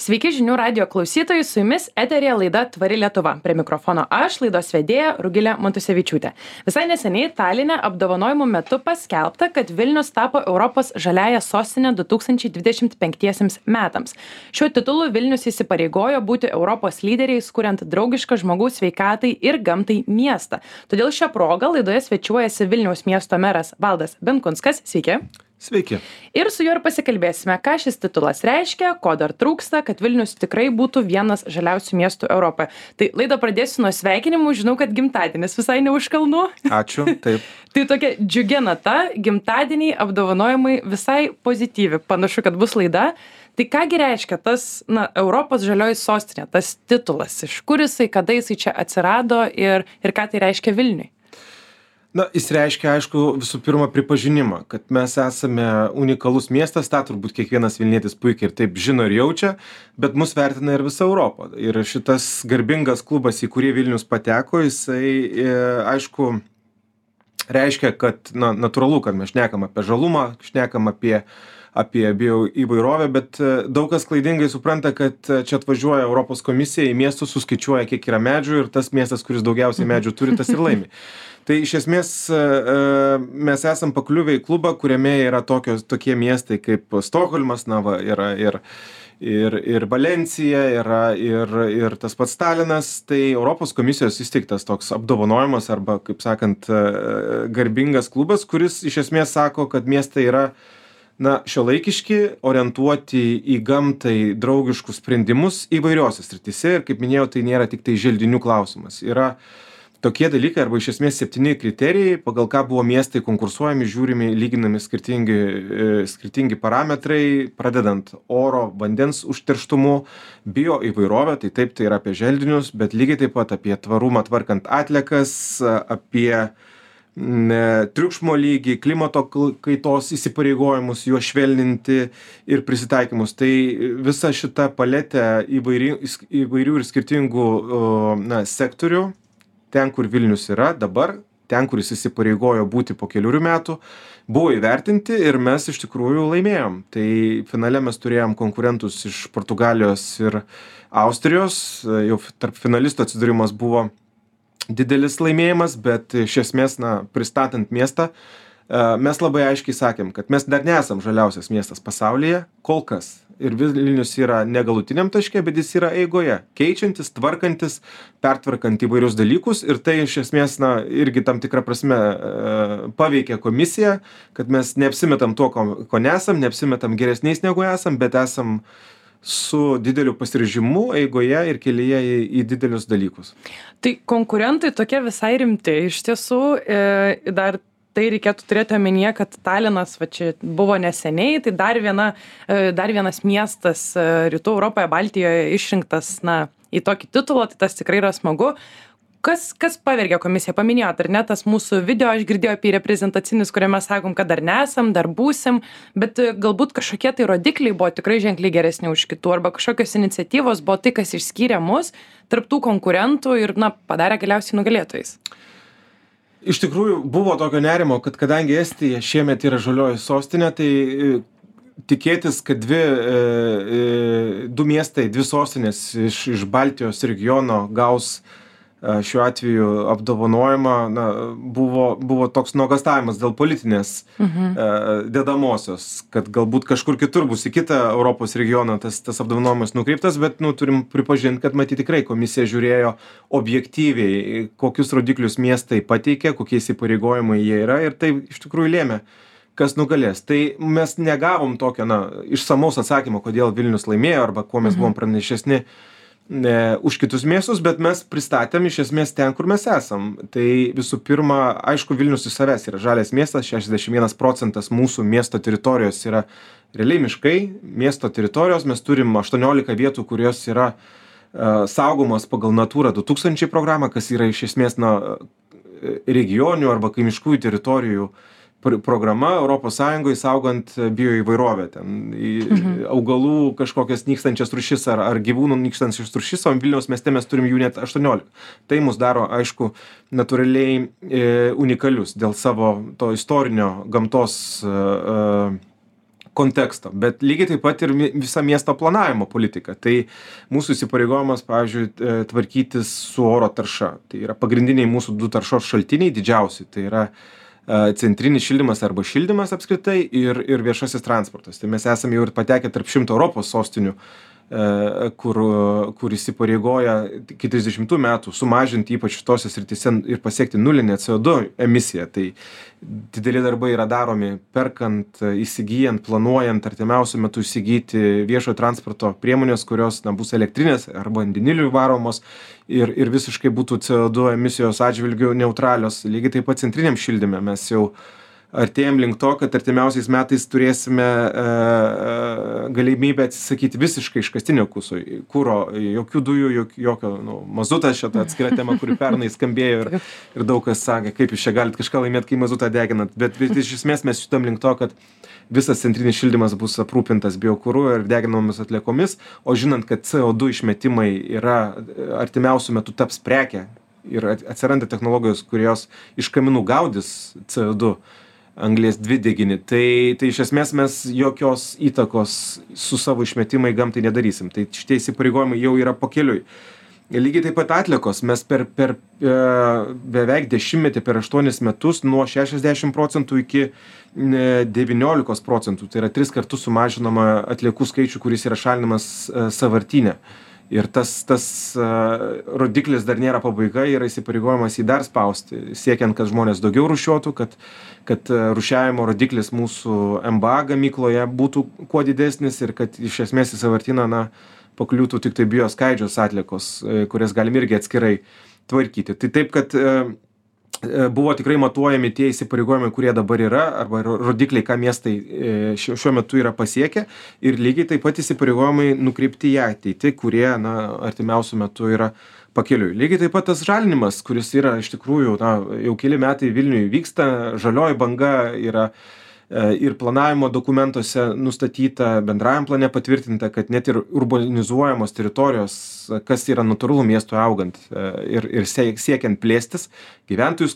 Sveiki žinių radio klausytojai, su jumis eterėje laida Tvari Lietuva. Prie mikrofono aš, laidos vedėja Rugilė Montusevičiūtė. Visai neseniai Taline apdovanojimų metu paskelbta, kad Vilnius tapo Europos žaliąja sostinė 2025 metams. Šiuo titulu Vilnius įsipareigojo būti Europos lyderiais, kuriant draugišką žmogaus sveikatai ir gamtai miestą. Todėl šią progą laidoje svečiuojasi Vilniaus miesto meras Valdas Benkunskas. Sveiki. Sveiki. Ir su juo ir pasikalbėsime, ką šis titulas reiškia, ko dar trūksta, kad Vilnius tikrai būtų vienas žaliausių miestų Europoje. Tai laidą pradėsiu nuo sveikinimų, žinau, kad gimtadienis visai ne už kalnų. Ačiū, taip. Tai tokia džiugia nata, gimtadieniai, apdovanojimai visai pozityvi. Panašu, kad bus laida. Tai kągi reiškia tas, Europos žalioji sostinė, tas titulas, iš kur jisai, kada jisai čia atsirado ir ką tai reiškia Vilniui? Jis reiškia, aišku, visų pirma pripažinimą, kad mes esame unikalus miestas, tą turbūt kiekvienas vilnietis puikiai ir taip žino ir jaučia, bet mus vertina ir visa Europa. Ir šitas garbingas klubas, į kurį Vilnius pateko, jisai, aišku, reiškia, kad, natūralu, kad mes šnekam apie žalumą, šnekam apie bioįvairovę, bet daug kas klaidingai supranta, kad čia atvažiuoja Europos komisija į miestus, suskaičiuoja, kiek yra medžių ir tas miestas, kuris daugiausiai medžių turi, tas ir laimi. Tai iš esmės mes esam pakliuvę į klubą, kuriame yra tokie miestai kaip Stokholmas, yra ir Valencija, yra ir tas pats Talinas. Tai Europos komisijos įsteigtas toks apdovanojimas arba, kaip sakant, garbingas klubas, kuris iš esmės sako, kad miestai yra šiuolaikiški, orientuoti į gamtai draugiškus sprendimus įvairiose srityse. Ir kaip minėjau, tai nėra tik tai želdinių klausimas. Yra tokie dalykai arba iš esmės 7 kriterijai, pagal ką buvo miestai konkursuojami, žiūrimi, lyginami skirtingi parametrai, pradedant oro, vandens užterštumu, bioįvairovę, tai taip, tai yra apie želdinius, bet lygiai taip pat apie tvarumą tvarkant atliekas, apie triukšmo lygį, klimato kaitos įsipareigojimus, juos švelninti ir prisitaikymus. Tai visa šita paletė įvairių ir skirtingų sektorių, ten, kur Vilnius yra dabar, ten, kur jis įsipareigojo būti po keliurių metų, buvo įvertinti ir mes iš tikrųjų laimėjom. Tai finale mes turėjom konkurentus iš Portugalijos ir Austrijos, jau tarp finalistų atsidūrimas buvo didelis laimėjimas, bet iš esmės, pristatant miestą, mes labai aiškiai sakėm, kad mes dar nesam žaliausias miestas pasaulyje, kol kas. Ir Vilnius yra negalutiniam taške, bet jis yra eigoje, keičiantis, tvarkantis, pertvarkant įvairius dalykus ir tai iš esmės, irgi tam tikrą prasme paveikia komisiją, kad mes neapsimetam to, ko nesam, neapsimetam geresniais negu esam, bet esam su dideliu pasiryžimu eigoje ir kelyje į didelius dalykus. Tai konkurentai tokie visai rimti, iš tiesų, dar tai reikėtų turėti omenyje, kad Talinas čia buvo neseniai, tai dar vienas miestas Rytų Europoje, Baltijoje išrinktas į tokį titulą, tai tas tikrai yra smagu. Kas pavergė komisiją? Paminėjot, ar ne, tas mūsų video, aš girdėjau apie reprezentacinis, kuriame sakom, kad dar nesam, dar būsim, bet galbūt kažkokie tai rodikliai buvo tikrai ženkliai geresni už kitų, arba kažkokios iniciatyvos buvo tai, kas išskyrė mus tarp tų konkurentų ir, padarė galiausiai nugalėtojais. Iš tikrųjų, buvo tokio nerimo, kad kadangi Estija šiemet yra žalioji sostinė, tai tikėtis, kad du miestai, dvi sostinės iš Baltijos regiono gaus šiuo atveju apdovanojimą, buvo toks nuogąstavimas dėl politinės dedamosios, kad galbūt kažkur kitur bus į kitą Europos regioną tas apdovanojimas nukreiptas, bet turim pripažinti, kad matyt tikrai komisija žiūrėjo objektyviai, kokius rodiklius miestai pateikė, kokie įsipareigojimai jie yra ir tai iš tikrųjų lėmė, kas nugalės. Tai mes negavom tokio išsamaus atsakymo, kodėl Vilnius laimėjo arba kuo mes buvom pranašesni už kitus miestus, bet mes pristatėm iš esmės ten, kur mes esam. Tai visų pirma, aišku, Vilnius iš savęs yra žalias miestas, 61% mūsų miesto teritorijos yra realiai miškai, miesto teritorijos, mes turim 18 vietų, kurios yra saugomos pagal Natūra 2000 programą, kas yra iš esmės regionių arba kaimiškųjų teritorijų programa Europos Sąjungoje saugant bioįvairovę. Ten augalų kažkokias nykstančias rūšis ar gyvūnų nykstančias rūšis, o Vilniaus mieste mes turim jų net 18. Tai mus daro, aišku, natūraliai unikalius dėl savo to istorinio gamtos konteksto, bet lygiai taip pat ir visa miesto planavimo politika. Tai mūsų įsipareigojimas, pavyzdžiui, tvarkytis su oro tarša. Tai yra pagrindiniai mūsų 2 taršos šaltiniai didžiausi. Tai yra centrinis šildymas arba šildymas apskritai ir viešasis transportas. Tai mes esame jau ir patekę tarp 100 Europos sostinių, kur įsipareigoja iki 30 metų sumažinti ypač šitose srityse ir pasiekti nulinę CO2 emisiją. Tai dideli darbai yra daromi perkant, įsigyjant, planuojant artimiausiu metu įsigyti viešojo transporto priemonės, kurios bus elektrinės arba vandeniliu varomos ir visiškai būtų CO2 emisijos atžvilgiu neutralios. Lygiai taip pat centriniam šildyme mes jau artėjam link to, kad artimiausiais metais turėsime galimybę atsisakyti visiškai iškastinio kuro, jokių dujų, jokio mazutas, šitą atskira tema, kuri pernai skambėjo ir daug kas sakė, kaip jūs čia galite kažką laimėti, kai mazutą deginat. Bet iš esmės mes šitam link to, kad visas centrinis šildymas bus aprūpintas biokuru ir deginamomis atliekomis, o žinant, kad CO2 išmetimai yra artimiausiu metu taps prekė ir atsiranda technologijos, kurios iš kaminų gaudys CO2, anglies dvideginį, tai iš esmės mes jokios įtakos su savo išmetimai gamtai nedarysim. Tai šitie įsipareigojimai jau yra pakeliui. Lygiai taip pat atliekos. Mes per beveik 10 per 8 metus nuo 60% iki 19%. Tai yra 3 kartus sumažinama atliekų skaičių, kuris yra šalinamas sąvartyne. Ir tas rodiklis dar nėra pabaiga, yra įsipareigojimas jį dar spausti, siekiant, kad žmonės daugiau rūšiuotų, kad rūšiavimo rodiklis mūsų MBA gamykloje būtų kuo didesnis ir kad iš esmės į sąvartyną pakliūtų tik tai bioskaidžios atliekos, kurias galim irgi atskirai tvarkyti. Tai taip, kad buvo tikrai matuojami tie įsipareigojimai, kurie dabar yra, arba rodikliai, ką miestai šiuo metu yra pasiekę, ir lygiai taip pat įsipareigojimai nukreipti į ateitį, kurie artimiausiu metu yra pakeliui. Lygiai taip pat tas žalinimas, kuris yra iš tikrųjų jau keli metai Vilniuje vyksta, žalioji banga yra ir planavimo dokumentuose nustatyta, bendrajam plane patvirtinta, kad net ir urbanizuojamos teritorijos, kas yra natūralu miestui augant ir siekiant plėstis, gyventojų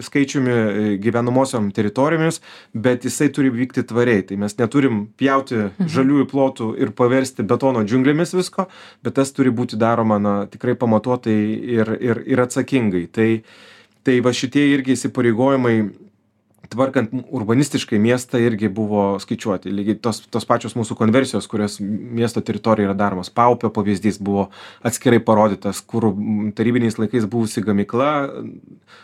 skaičiumi, gyvenamosiom teritorijomis, bet jisai turi vykti tvariai. Tai mes neturim pjauti žaliųjų plotų ir paversti betono džiunglėmis visko, bet tas turi būti daroma tikrai pamatuotai ir atsakingai. Tai va šitie irgi įsipareigojimai tvarkant urbanistiškai miestą irgi buvo skaičiuoti. Lygiai tos pačios mūsų konversijos, kurios miesto teritorijoje yra daromos. Paupio pavyzdys buvo atskirai parodytas, kur tarybiniais laikais buvusi gamykla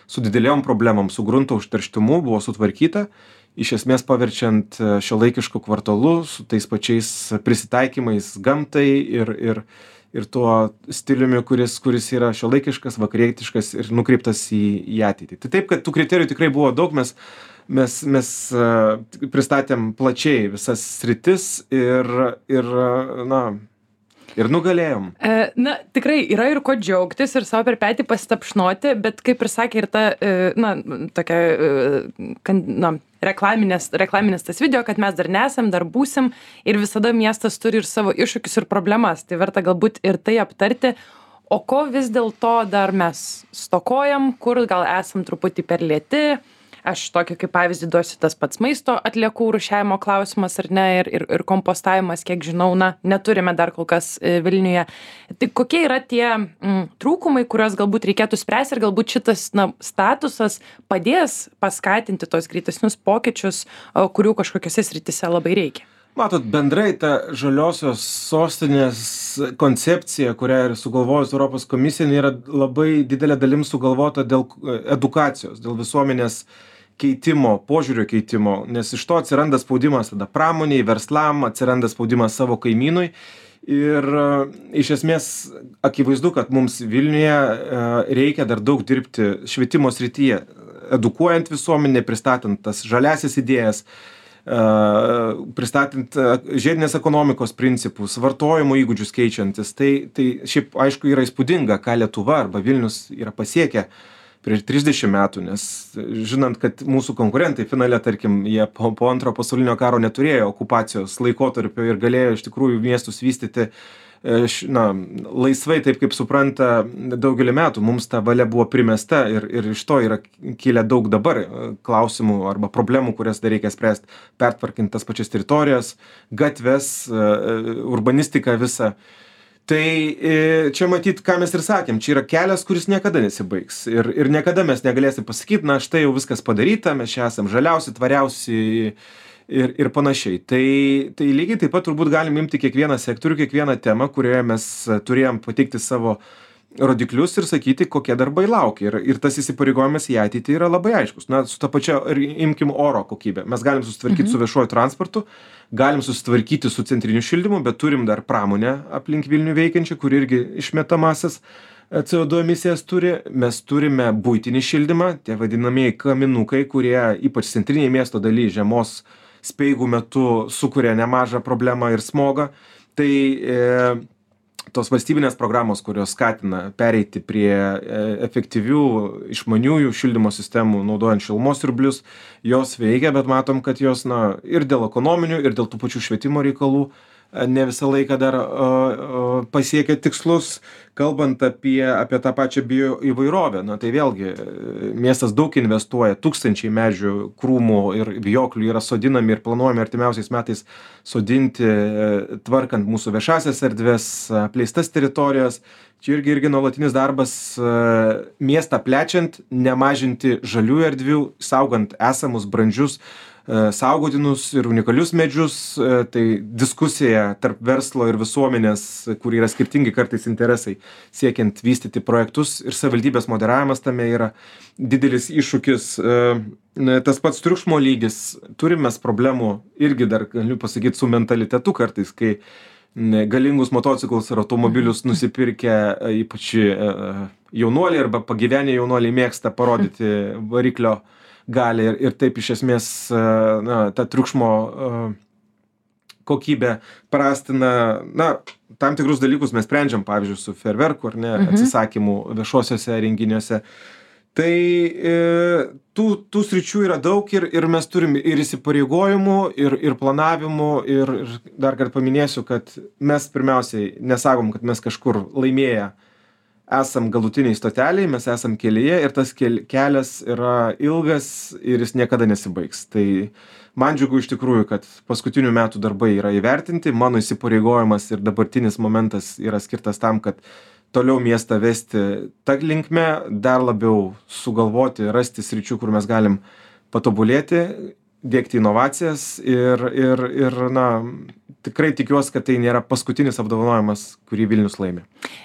su dideliom problemom, su grunto užterštumu buvo sutvarkyta, iš esmės paverčiant šiuolaikišku kvartalu su tais pačiais prisitaikymais gamtai ir tuo stiliumi, kuris yra šiuolaikiškas, vakarietiškas ir nukreiptas į ateitį. Tai taip, kad tų kriterijų tikrai buvo daug, mes pristatėm plačiai visas sritis ir nugalėjom. Tikrai yra ir ko džiaugtis ir savo per petį pasitapšnoti, bet kaip ir sakė ir ta, tokia, reklaminis tas video, kad mes dar nesam, dar būsim ir visada miestas turi ir savo iššūkius ir problemas. Tai verta galbūt ir tai aptarti. O ko vis dėlto dar mes stokojam, kur gal esam truputį per lėti. Aš tokį kaip pavyzdį duosiu, tas pats maisto atliekų rūšiavimo klausimas ar ne, ir kompostavimas, kiek žinau, neturime dar kol kas Vilniuje. Tai kokie yra tie trūkumai, kuriuos galbūt reikėtų spręsti ir galbūt šitas statusas padės paskatinti tos greitesnius pokyčius, kurių kažkokiose srityse labai reikia? Matot, bendrai ta žaliosios sostinės koncepcija, kurią ir sugalvojus Europos komisija, yra labai didelė dalim sugalvota dėl edukacijos, dėl visuomenės keitimo, požiūrio keitimo, nes iš to atsiranda spaudimas tada pramoniai, verslam, atsiranda spaudimas savo kaimynui ir iš esmės akivaizdu, kad mums Vilniuje reikia dar daug dirbti švietimo srityje, edukuojant visuomenę, pristatant tas žaliasias idėjas, pristatant žiedinės ekonomikos principus, vartojimo įgūdžius keičiantis. Tai šiaip aišku yra įspūdinga, ką Lietuva arba Vilnius yra pasiekę prieš 30 metų, nes žinant, kad mūsų konkurentai finale, tarkim, jie po antrojo pasaulinio karo neturėjo okupacijos laikotarpio ir galėjo iš tikrųjų miestus vystyti laisvai, taip kaip supranta daugelį metų, mums ta valia buvo primesta ir iš to yra kilę daug dabar klausimų arba problemų, kurias dar reikia spręsti, pertvarkinti tas pačias teritorijas, gatves, urbanistiką visą. Tai čia matyt, ką mes ir sakėm, čia yra kelias, kuris niekada nesibaigs. Ir niekada mes negalėsim pasakyti, na štai jau viskas padaryta, mes čia esam žaliausi, tvariausi ir panašiai. Tai lygiai taip pat turbūt galim imti kiekvieną sektorių, kiekvieną temą, kurioje mes turėjom pateikti savo rodiklius ir sakyti, kokie darbai laukia. Ir tas įsipareigojimas į ateitį yra labai aiškus. Na, su ta pačia, imkim oro kokybę. Mes galim susitvarkyti su viešuoju transportu, galim susitvarkyti su centriniu šildymu, bet turim dar pramonę aplink Vilnių veikiančią, kur irgi išmetamasias CO2 emisijas turi. Mes turime buitinį šildymą, tie vadinamieji kaminukai, kurie ypač centrinėje miesto daly žiemos speigų metu sukuria nemažą problemą ir smogą. Tai tos valstybinės programos, kurios skatina pereiti prie efektyvių išmaniųjų šildymo sistemų, naudojant šilumos siurblius, jos veikia, bet matom, kad jos ir dėl ekonominių, ir dėl tų pačių švietimo reikalų ne visą laiką dar pasiekia tikslus. Kalbant apie tą pačią bioįvairovę, tai vėlgi miestas daug investuoja, tūkstančiai medžių, krūmų ir vijoklių yra sodinami ir planuojami artimiausiais metais sodinti, tvarkant mūsų viešasias erdves, apleistas teritorijas. Čia irgi nuolatinis darbas miestą plečiant, nemažinti žaliųjų erdvių, saugant esamus brandžius saugotinus ir unikalius medžius. Tai diskusija tarp verslo ir visuomenės, kur yra skirtingi kartais interesai, siekiant vystyti projektus, ir savivaldybės moderavimas tame yra didelis iššūkis. Tas pats triukšmo lygis, turim mes problemų irgi dar, galiu pasakyti, su mentalitetu kartais, kai galingus motociklus ir automobilius nusipirkę, ypač jaunuoliai arba pagyvenę jaunuoliai mėgsta parodyti variklio gali ir taip iš esmės ta triukšmo kokybė prastina. Tam tikrus dalykus mes sprendžiam, pavyzdžiui, su fejerverkų ar ne atsisakymu viešuosiuose renginiuose. Tai tų sričių yra daug ir mes turim ir įsipareigojimų, ir planavimų, ir dar kartą paminėsiu, kad mes pirmiausiai nesakom, kad mes kažkur laimėję esam galutiniai stoteliai, mes esam kelyje ir tas kelias yra ilgas ir jis niekada nesibaigs. Tai man džiugu iš tikrųjų, kad paskutinių metų darbai yra įvertinti, mano įsipareigojimas ir dabartinis momentas yra skirtas tam, kad toliau miestą vesti tą linkme, dar labiau sugalvoti, rasti sričių, kur mes galim patobulėti, dėkti inovacijas ir tikrai tikiuosi, kad tai nėra paskutinis apdovanojimas, kurį Vilnius laimi.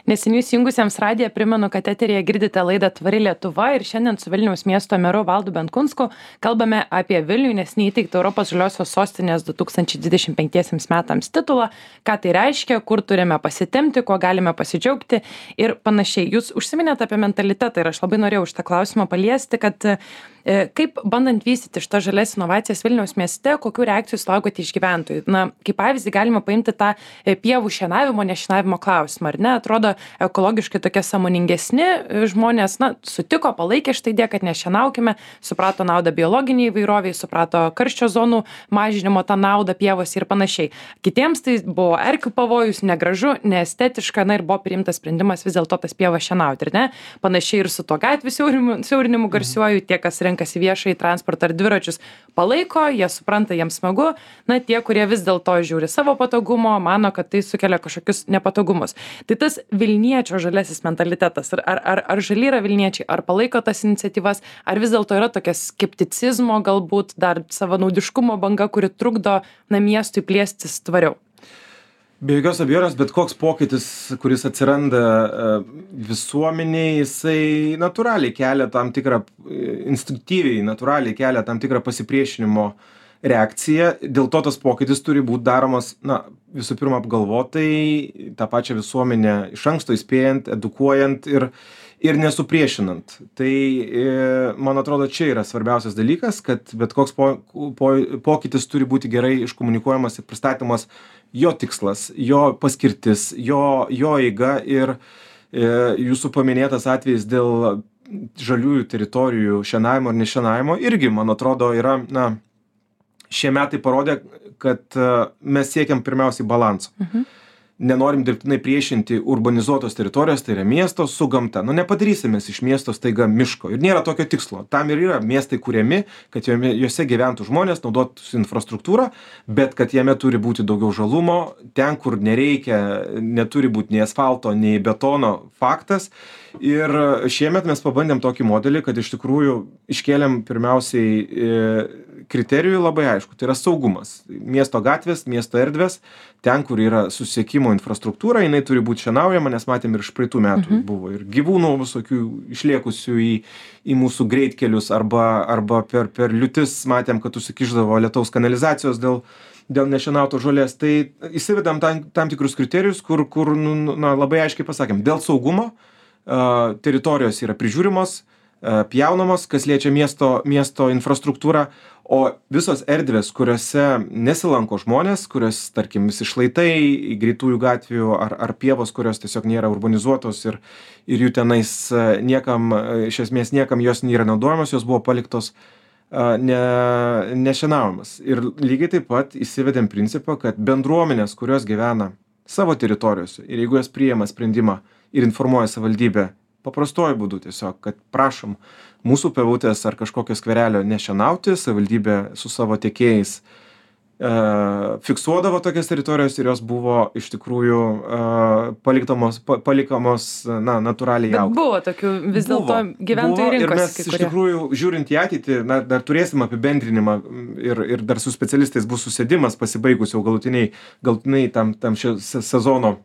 Neseniai įsijungusiems radiją primenu, kad eteryje girdite laidą Tvari Lietuva ir šiandien su Vilniaus miesto meru Valdu Benkunsku kalbame apie Vilnių, nes neįteikti Europos žaliosios sostinės 2025 metams titulą, ką tai reiškia, kur turime pasitemti, kuo galime pasidžiaugti ir panašiai. Jūs užsiminėte apie mentalitetą ir aš labai norėjau šitą klausimą paliesti, kad kaip bandant vystyti šitą žalias inovacijas Vilniaus mieste, kokių reakcijų sulaukote iš gyventojų? Kaip pavyzdį galima paimti tą pievų šienavimo, nešienavimo klausimą, ar ne? Atrodo, ekologiškai tokie sąmoningesni žmonės, sutiko, palaikė šitą idėją, kad nešienaukime, suprato naudą biologiniai įvairoviai, suprato karščio zonų mažinimo tą naudą pievose ir panašiai. Kitiems tai buvo erkių pavojus, negražu, neestetiška, ir buvo priimtas sprendimas vis dėlto tas pievas šienauti, ar ne? Panašiai ir su to gatvių siaurinimu garsiuoju, tie, kas renkasi viešąjį transportą ar dviračius, palaiko, jie supranta, jiems smagu. Tie, kurie vis dėlto žiūri savo patogumo, mano, kad tai sukelia kažkokius nepatogumus. Tai tas Vilniečio žaliasis mentalitetas, ar žali yra Vilniečiai, ar palaiko tas iniciatyvas, ar vis dėlto yra tokia skepticizmo, galbūt dar savanaudiškumo banga, kuri trukdo miestui plėstis tvariau? Be jokios abejonės, bet koks pokytis, kuris atsiranda visuomeniai, jisai natūraliai kelia tam tikrą, instinktyviai natūraliai kelia tam tikrą pasipriešinimo reakciją. Dėl to tas pokytis turi būti daromas, visų pirma, apgalvotai, tą pačią visuomenę iš anksto įspėjant, edukuojant ir nesupriešinant. Tai, man atrodo, čia yra svarbiausias dalykas, kad bet koks pokytis turi būti gerai iškomunikuojamas ir pristatomas jo tikslas, jo paskirtis, jo eiga ir jūsų paminėtas atvejis dėl žaliųjų teritorijų šienavimo ar nešienavimo irgi, man atrodo, yra, šie metai parodė, kad mes siekiam pirmiausiai balanso. nenorim dirbtinai priešinti urbanizuotos teritorijos, tai yra miesto su gamta. Nu, nepadarysime iš miesto staiga miško. Ir nėra tokio tikslo. Tam ir yra miestai kuriami, kad juose gyventų žmonės, naudotųsi infrastruktūrą, bet kad jame turi būti daugiau žalumo, ten, kur nereikia, neturi būti nei asfalto, nei betono, faktas. Ir šiemet mes pabandėm tokį modelį, kad iš tikrųjų iškėlėm pirmiausiai kriterijų labai aišku, tai yra saugumas. Miesto gatvės, miesto erdvės, ten, kur yra susisiekimo infrastruktūra, jinai turi būti šienaujama, nes matėm ir iš praeitų metų buvo ir gyvūnų visokių išliekusių į mūsų greitkelius arba per liūtis matėm, kad užsikišdavo lietaus kanalizacijos dėl nešienautos žolės. Tai įsivedam tam tikrus kriterijus, kur labai aiškiai pasakėm, dėl saugumo teritorijos yra prižiūrimos, pjaunamos, kas liečia miesto infrastruktūrą, o visos erdvės, kuriuose nesilanko žmonės, kurios, tarkim, visi šlaitai, greitųjų gatvių ar pievos, kurios tiesiog nėra urbanizuotos ir jų tenais iš esmės niekam jos nėra naudojamos, jos buvo paliktos nešienaujamas. Ir lygiai taip pat įsivedėm principą, kad bendruomenės, kurios gyvena savo teritorijose ir jeigu jos priima sprendimą ir informuoja savivaldybę paprastuoju būdu tiesiog, kad prašom mūsų pievutės ar kažkokio skverelio nešienauti, savivaldybė su savo tiekėjais fiksuodavo tokias teritorijos ir jos buvo iš tikrųjų palikamos natūraliai augti. Bet buvo tokių vis dėlto gyventojų rinkosi. Ir mes iš tikrųjų, žiūrint į ateitį, dar turėsim apibendrinimą ir dar su specialistais bus susėdimas pasibaigus jau galutinai tam sezono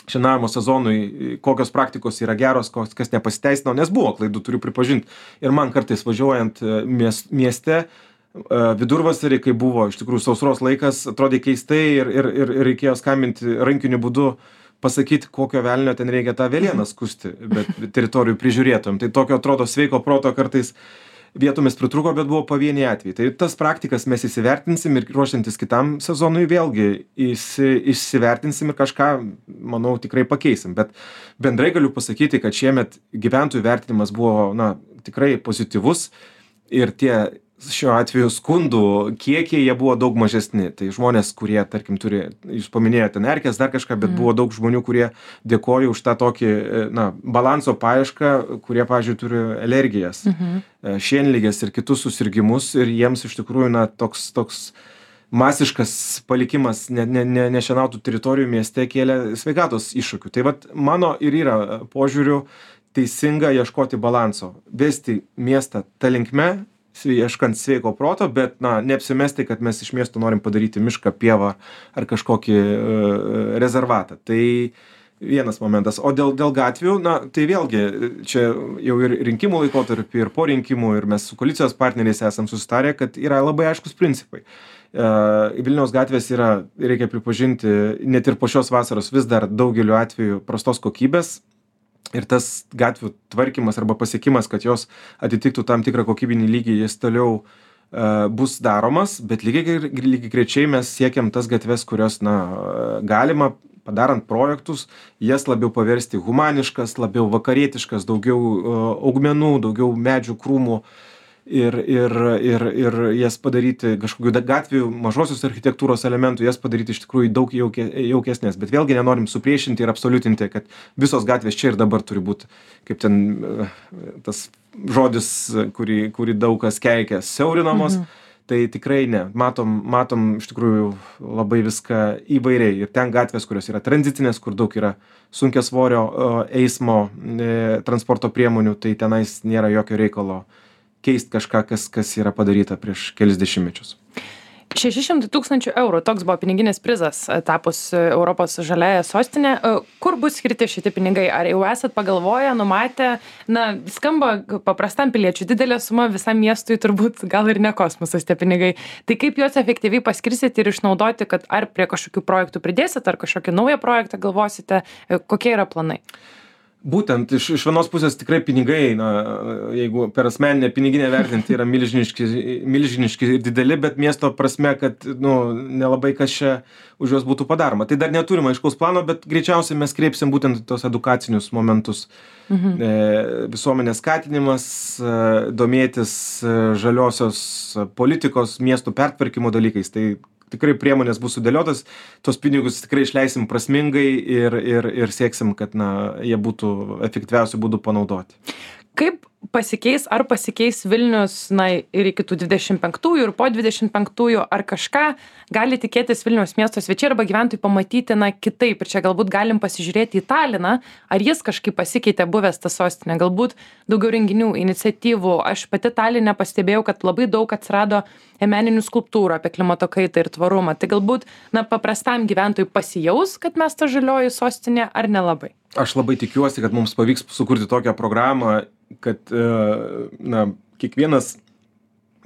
šienavimo sezonui, kokios praktikos yra geros, kas nepasiteisino, nes buvo klaidų, turiu pripažinti. Ir man kartais važiuojant mieste, vidurvasarį, kai buvo iš tikrųjų sausros laikas, atrodė keistai ir reikėjo skambinti rankiniu būdu, pasakyti, kokio velnio ten reikia tą velieną skusti, bet teritorijų prižiūrėtojom. Tai tokio atrodo sveiko proto kartais vietomis pritruko, bet buvo pavieniai atvejai. Tai tas praktikas mes įsivertinsim ir ruošiantis kitam sezonui vėlgi įsivertinsim ir kažką, manau, tikrai pakeisim. Bet bendrai galiu pasakyti, kad šiemet gyventojų vertinimas buvo, tikrai pozityvus ir tie šiuo atveju skundų kiekiai jie buvo daug mažesni. Tai žmonės, kurie, tarkim, turi, jūs paminėjote erkes, dar kažką, bet buvo daug žmonių, kurie dėkoja už tą tokį, balanso paiešką, kurie, pavyzdžiui, turi alergijas, šienligės ir kitus susirgimus ir jiems iš tikrųjų, toks masiškas palikimas nešienautų teritorijų mieste kėlė sveikatos iššūkių. Tai vat mano ir yra požiūriu teisinga ieškoti balanso, vesti miestą ta linkme, ieškant sveiko proto, bet neapsimesti, kad mes iš miesto norim padaryti mišką, pievą ar kažkokį rezervatą. Tai vienas momentas. O dėl gatvių, tai vėlgi čia jau ir rinkimų laikotarpį, ir po rinkimų, ir mes su koalicijos partneriais esam susitarę, kad yra labai aiškus principai. Vilniaus gatvės yra, reikia pripažinti, net ir po šios vasaros vis dar daugeliu atveju prastos kokybės. Ir tas gatvių tvarkymas arba pasiekimas, kad jos atitiktų tam tikrą kokybinį lygį, jis toliau bus daromas, bet lygiai grečiai mes siekiam tas gatves, kurios, galima, padarant projektus, jas labiau paversti humaniškas, labiau vakarietiškas, daugiau augmenų, daugiau medžių, krūmų ir jas padaryti kažkokių gatvių, mažosios architektūros elementų, jas padaryti iš tikrųjų daug jaukesnės. Bet vėlgi nenorim supriešinti ir absoliutinti, kad visos gatvės čia ir dabar turi būti, kaip ten tas žodis, kurį daug kas keikia, siaurinamos. Tai tikrai ne. Matom iš tikrųjų labai viską įvairiai. Ir ten gatvės, kurios yra tranzitinės, kur daug yra sunkiasvorio eismo transporto priemonių, tai tenais nėra jokio reikalo keisti kažką, kas yra padaryta prieš kelis dešimtmečius. 600 000 eurų, toks buvo piniginis prizas tapus Europos žaliąja sostinė. Kur bus skirti šitie pinigai? Ar jau esat pagalvoję, numatę? Skamba paprastam piliečiui didelė suma, visam miestui turbūt gal ir ne kosmosas tie pinigai. Tai kaip juos efektyviai paskirsit ir išnaudoti, kad ar prie kažkokių projektų pridėsit, ar kažkokį naują projektą galvosite? Kokie yra planai? Būtent iš vienos pusės tikrai pinigai, jeigu per asmeninę piniginę vertinti, yra milžiniški ir dideli, bet miesto prasme, kad nelabai kas čia už juos būtų padaroma. Tai dar neturime aiškaus plano, bet greičiausiai mes kreipsim būtent tos edukacinius momentus. Visuomenės skatinimas, domėtis žaliosios politikos, miestų pertvarkymo dalykais. Tai tikrai priemonės bus sudėliotos, tos pinigus tikrai išleisim prasmingai ir sieksim, kad jie būtų efektyviausių būdų panaudoti. Kaip ar pasikeis Vilnius ir iki tų 25-ųjų ir po 25-ųjų, ar kažką gali tikėtis Vilniaus miesto svečiai arba gyventojai pamatyti kitaip? Ir čia galbūt galim pasižiūrėti į Taliną, ar jis kažkaip pasikeitė buvęs tą sostinę, galbūt daugiau renginių, iniciatyvų. Aš pati Taline pastebėjau, kad labai daug atsirado meninių skulptūrų apie klimato kaitą ir tvarumą. Tai galbūt paprastam gyventojui pasijaus, kad mes ta žalioji sostinė, ar nelabai? Aš labai tikiuosi, kad mums pavyks sukurti tokią programą, kad kiekvienas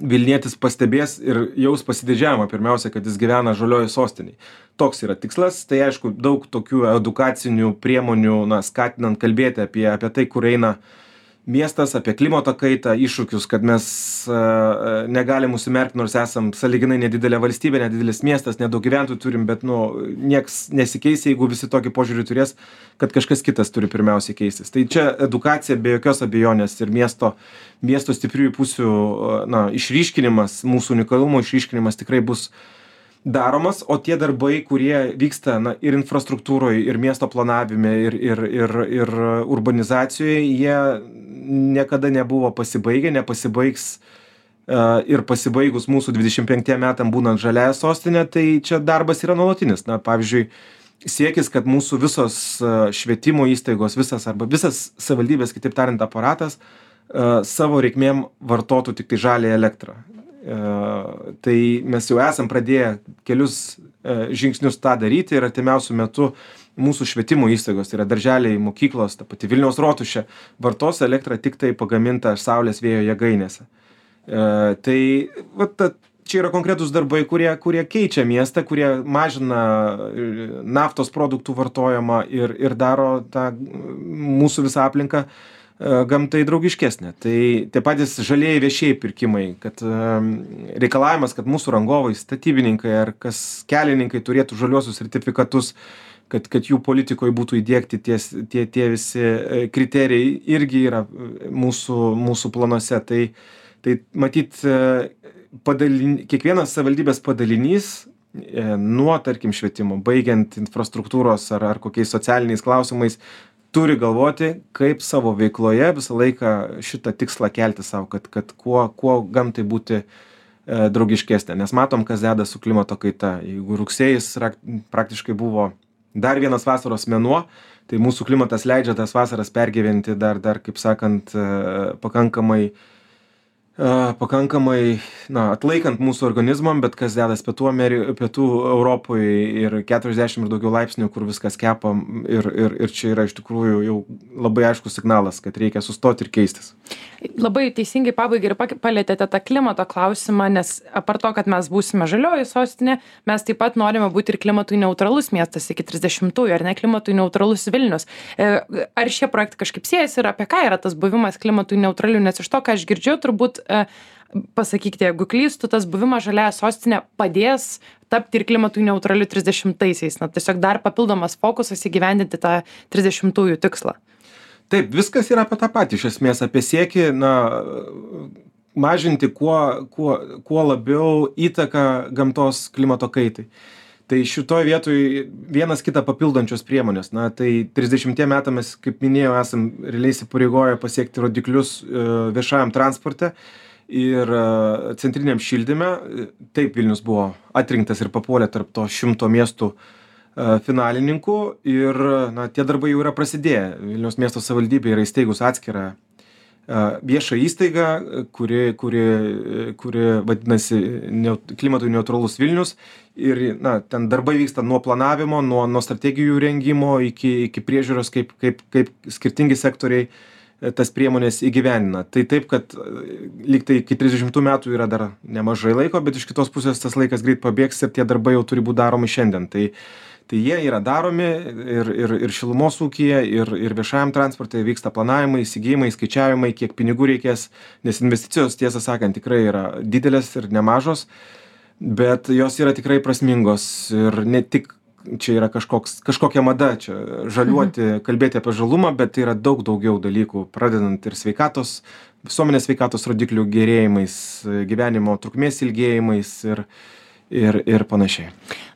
Vilnietis pastebės ir jaus pasididžiavimą pirmiausia, kad jis gyvena žaliojoj sostiniai. Toks yra tikslas, tai aišku, daug tokių edukacinių priemonių, skatinant kalbėti apie tai, kur eina miestas, apie klimato kaitą, iššūkius, kad mes negalim užsimerkti, nors esam sąlyginai nedidelė valstybė, nedidelis miestas, nedaug gyventojų turim, bet nieks nesikeis, jeigu visi tokį požiūrį turės, kad kažkas kitas turi pirmiausiai keistis. Tai čia edukacija be jokios abejonės ir miesto stipriųjų pusių išryškinimas, mūsų unikalumo išryškinimas tikrai bus daromas, o tie darbai, kurie vyksta ir infrastruktūroje, ir miesto planavime, ir urbanizacijoje, jie niekada nebuvo pasibaigę, nepasibaigs ir pasibaigus mūsų 25 metam būnant žaliąją sostinę, tai čia darbas yra nuolatinis. Pavyzdžiui, siekis, kad mūsų visos švietimo įstaigos, visas savivaldybės, kitaip tariant, aparatas, savo reikmėm vartotų tik tai žalią elektrą. Tai mes jau esam pradėję kelius žingsnius tą daryti ir artimiausių metų mūsų švietimo įstaigos, tai yra darželiai, mokyklos, ta pati Vilniaus rotušė, vartos elektrą tik tai pagamintą saulės vėjo jėgainėse. Tai čia yra konkretūs darbai, kurie keičia miestą, kurie mažina naftos produktų vartojimą ir daro tą mūsų visą aplinką gamtai draugiškesnė. Tai tie patys žalieji viešieji pirkimai, kad reikalavimas, kad mūsų rangovai, statybininkai ar kelininkai turėtų žaliuosius sertifikatus, kad jų politikoje būtų įdiegti tie visi kriterijai, irgi yra mūsų planuose. Tai matyt, kiekvienas savivaldybės padalinys nuo, tarkim, švietimo, baigiant infrastruktūros ar kokiais socialiniais klausimais, turi galvoti, kaip savo veikloje visą laiką šitą tikslą kelti savo, kad kuo gamtai būti draugiškesnė. Nes matom, kas deda su klimato kaita. Jeigu rugsėjis praktiškai buvo dar vienas vasaros mėnuo, tai mūsų klimatas leidžia tas vasaras pergyventi dar kaip sakant, pakankamai atlaikant mūsų organizmam, bet kas dedas pietų Europoje ir 40 ir daugiau laipsnių, kur viskas kepa ir čia yra iš tikrųjų jau labai aiškus signalas, kad reikia sustoti ir keistis. Labai teisingai pabaigai ir palėtėte tą klimato klausimą, nes apart to, kad mes būsime žalioji sostinė, mes taip pat norime būti ir klimatui neutralus miestas iki 30-ųjų, ar ne klimatui neutralus Vilnius. Ar šie projektai kažkaip siejasi ir apie ką yra tas buvimas klimatui neutraliu, nes iš to, ką aš girdžiu, turbūt pasakykite, jeigu klystu, tas buvimas žaliąja sostinė padės tapti ir klimatui neutraliu 30-aisiais. Tiesiog dar papildomas fokusas įgyvendinti tą 30-ųjų tikslą. Taip, viskas yra apie tą patį, iš esmės, apie siekį, mažinti kuo labiau įtaką gamtos klimato kaitai. Tai šitoje vietoje vienas kitą papildančios priemonės. Tai 30 metų mes, kaip minėjau, esam realiai įsipareigoję pasiekti rodiklius viešajam transporte ir centriniam šildyme. Taip, Vilnius buvo atrinktas ir papuolė tarp to 100 miestų finalininkų ir tie darbai jau yra prasidėję. Vilniaus miesto savivaldybė yra įsteigus atskirą viešą įstaigą, kuri vadinasi klimatui neutralus Vilnius ir ten darbai vyksta nuo planavimo, nuo strategijų rengimo iki priežiūros, kaip skirtingi sektoriai tas priemonės įgyvenina. Tai taip, kad lyg tai iki 30 metų yra dar nemažai laiko, bet iš kitos pusės tas laikas greit pabėgs ir tie darbai jau turi būti daromi šiandien. Tai jie yra daromi ir šilumos ūkyje, ir viešajam transporte vyksta planavimai, įsigijimai, skaičiavimai, kiek pinigų reikės, nes investicijos, tiesą sakant, tikrai yra didelės ir nemažos, bet jos yra tikrai prasmingos ir ne tik čia yra kažkokia mada, čia žaliuoti, kalbėti apie žalumą, bet tai yra daug daugiau dalykų, pradedant ir visuomenės sveikatos rodiklių gerėjimais, gyvenimo trukmės ilgėjimais ir panašiai.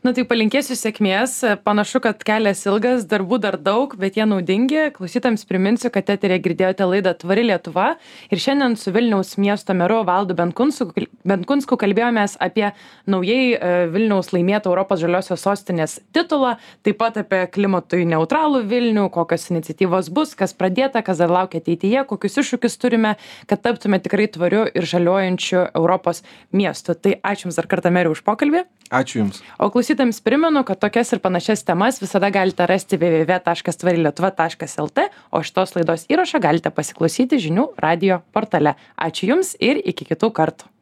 Na tai palinkėsiu sėkmės. Panašu, kad kelias ilgas, darbų dar daug, bet jie naudingi. Klausytams priminsiu, kad eterėje girdėjote laidą Tvari Lietuva ir šiandien su Vilniaus miesto meru Valdu Benkunsku kalbėjomės apie naujai Vilniaus laimėtą Europos žaliosios sostinės titulą, taip pat apie klimatui neutralų Vilnių, kokios iniciatyvos bus, kas pradėta, kas dar laukia ateityje, kokius iššūkius turime, kad taptume tikrai tvariu ir žaliuojančiu Europos miestu. Tai ačiū Jums dar kartą, meri, už pokalbį. Ačiū Jums. O klausytojams primenu, kad tokias ir panašias temas visada galite rasti www.tvarilietuva.lt, o šitos laidos įrašą galite pasiklausyti žinių radijo portale. Ačiū Jums ir iki kitų kartų.